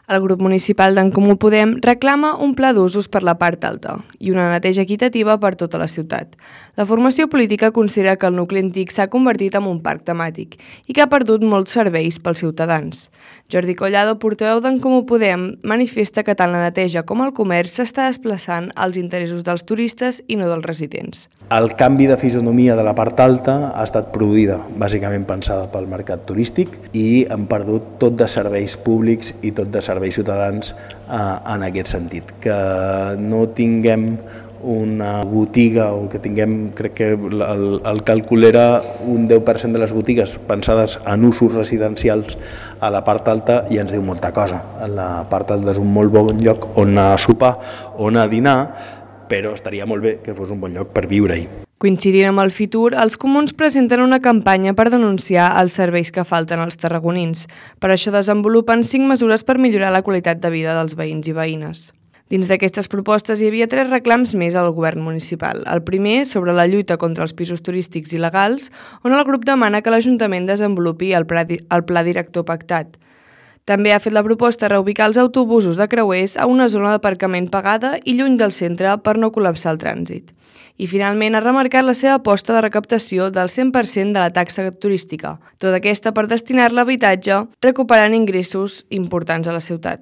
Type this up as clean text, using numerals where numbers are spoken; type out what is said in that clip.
El grup municipal d'en Comú Podem reclama un pla d'usos per la part alta i una neteja equitativa per tota la ciutat. La formació política considera que el nucli antic s'ha convertit en un parc temàtic i que ha perdut molts serveis pels ciutadans. Jordi Collado, portaveu d'en Comú Podem, manifesta que tant la neteja com el comerç s'està desplaçant als interessos dels turistes i no dels residents. El canvi de fisonomia de la part alta ha estat produïda, bàsicament pensada pel mercat turístic, i han perdut tot de serveis públics i tot de serveis ciutadans en aquest sentit. Que no tinguem una botiga o que tinguem, crec que el càlcul era un 10% de les botigues pensades en usos residencials a la part alta i ens diu molta cosa. La part alta és un molt bon lloc on anar a sopar, on anar a dinar, però estaria molt bé que fos un bon lloc per viure-hi. Coincidint amb el Fitur, els comuns presenten una campanya per denunciar els serveis que falten als tarragonins. Per això desenvolupen 5 mesures per millorar la qualitat de vida dels veïns i veïnes. Dins d'aquestes propostes hi havia 3 reclams més al govern municipal. El primer, sobre la lluita contra els pisos turístics il·legals, on el grup demana que l'Ajuntament desenvolupi el pla director pactat. També ha fet la proposta de reubicar els autobusos de creuers a una zona d'aparcament pagada i lluny del centre per no col·lapsar el trànsit. I finalment ha remarcat la seva aposta de recaptació del 100% de la taxa turística, tota aquesta per destinar-la a habitatge, recuperant ingressos importants a la ciutat.